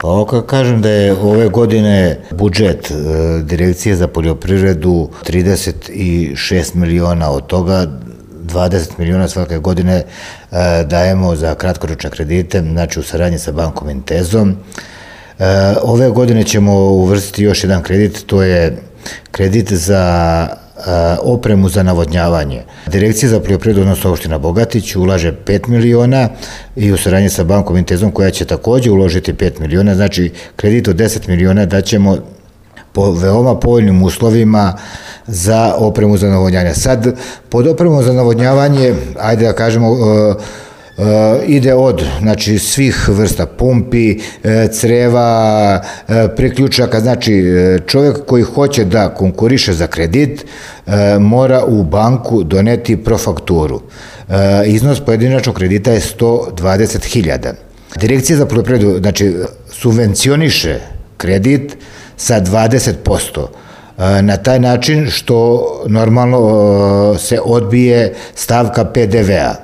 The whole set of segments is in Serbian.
Pa ovako kažem da je ove godine budžet Direkcije za poljoprivredu 36 miliona, od toga 20 miliona svake godine dajemo za kratkoročne kredite, znači u saradnji sa bankom Intezom. Ove godine ćemo uvrstiti još jedan kredit, to je kredit za opremu za navodnjavanje. Direkcija za poljoprivredu, odnosno opština Bogatić, ulaže 5 miliona i u saradnji sa bankom Intezom, koja će takođe uložiti 5 miliona, znači kredit od 10 miliona daćemo po veoma povoljnim uslovima za opremu za navodnjavanje. Sad, pod opremu za navodnjavanje, ajde da kažemo, ide od svih vrsta pumpi, creva, priključaka, znači čovjek koji hoće da konkuriše za kredit mora u banku doneti profakturu. Iznos pojedinačnog kredita je 120.000. Direkcija za poljoprivredu, znači, subvencioniše kredit sa 20%. Na taj način što normalno se odbije stavka PDV-a.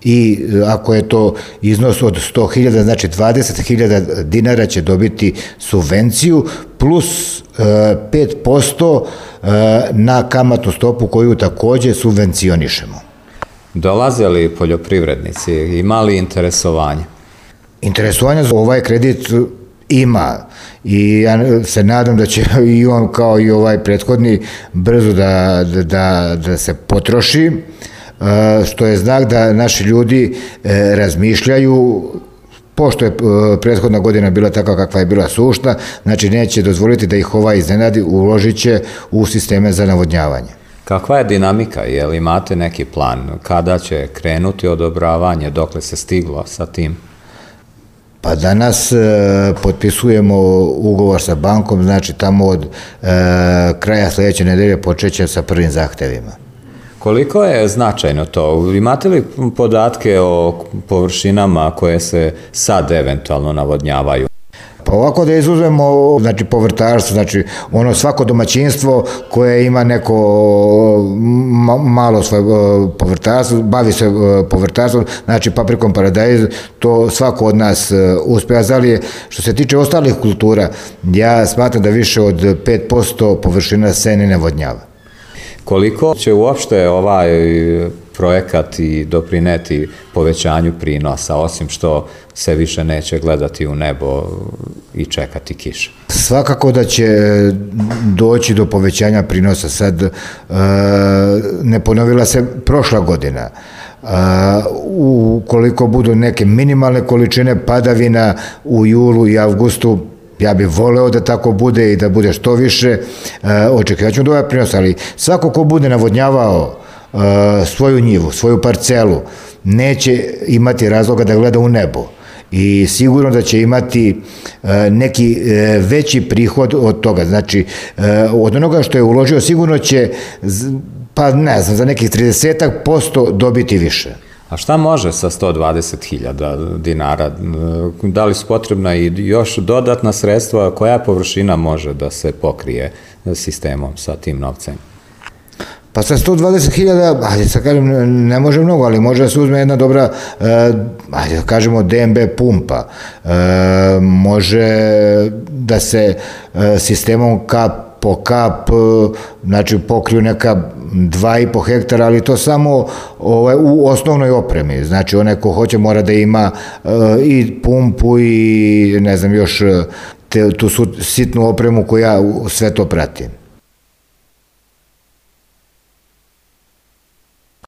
I ako je to iznos od 100.000, znači 20.000 dinara će dobiti subvenciju plus 5% na kamatnu stopu koju takođe subvencionišemo. Dolaze li poljoprivrednici, ima li interesovanja? Interesovanja za ovaj kredit ima i ja se nadam da će i on kao i ovaj prethodni brzo da se potroši, što je znak da naši ljudi razmišljaju, pošto je prethodna godina bila takva kakva je bila sušna, znači neće dozvoliti da ih iznenadi, uložit će u sisteme za navodnjavanje. Kakva je dinamika, je li imate neki plan, kada će krenuti odobravanje, dokle se stiglo sa tim? Pa danas potpisujemo ugovor sa bankom, znači tamo od kraja sledeće nedelje počeće sa prvim zahtevima. Koliko je značajno to? Imate li podatke o površinama koje se sad eventualno navodnjavaju? Pa ovako da izuzmemo, znači povrtarstvo, znači ono svako domaćinstvo koje ima neko malo svoje povrtarstvo, bavi se povrtarstvom, znači paprikom paradajz, to svako od nas uspeva. Zali što se tiče ostalih kultura, ja smatram da više od 5% površina se ne navodnjava. Koliko će uopšte ovaj projekat i doprineti povećanju prinosa, osim što se više neće gledati u nebo i čekati kišu? Svakako da će doći do povećanja prinosa. Sad ne ponovila se prošla godina. Ukoliko budu neke minimalne količine padavina u julu i avgustu, ja bih voleo da tako bude i da bude što više, očekivat ćemo ovaj prinos, ali svako ko bude navodnjavao svoju njivu, svoju parcelu, neće imati razloga da gleda u nebo i sigurno da će imati neki veći prihod od toga. Znači, od onoga što je uložio sigurno će, pa ne znam, za nekih 30% dobiti više. A šta može sa 120.000 dinara? Da li su potrebna i još dodatna sredstva? Koja površina može da se pokrije sistemom sa tim novcem? Pa sa 120.000, ajde sad kažem, ne može mnogo, ali može da se uzme jedna dobra, ajde da kažemo DMB pumpa. Može da se sistemom kap po kap, znači pokriju neka 2,5 hektara, ali to samo u osnovnoj opremi. Znači onaj ko hoće mora da ima i pumpu i ne znam još tu sitnu opremu koja sve to prati.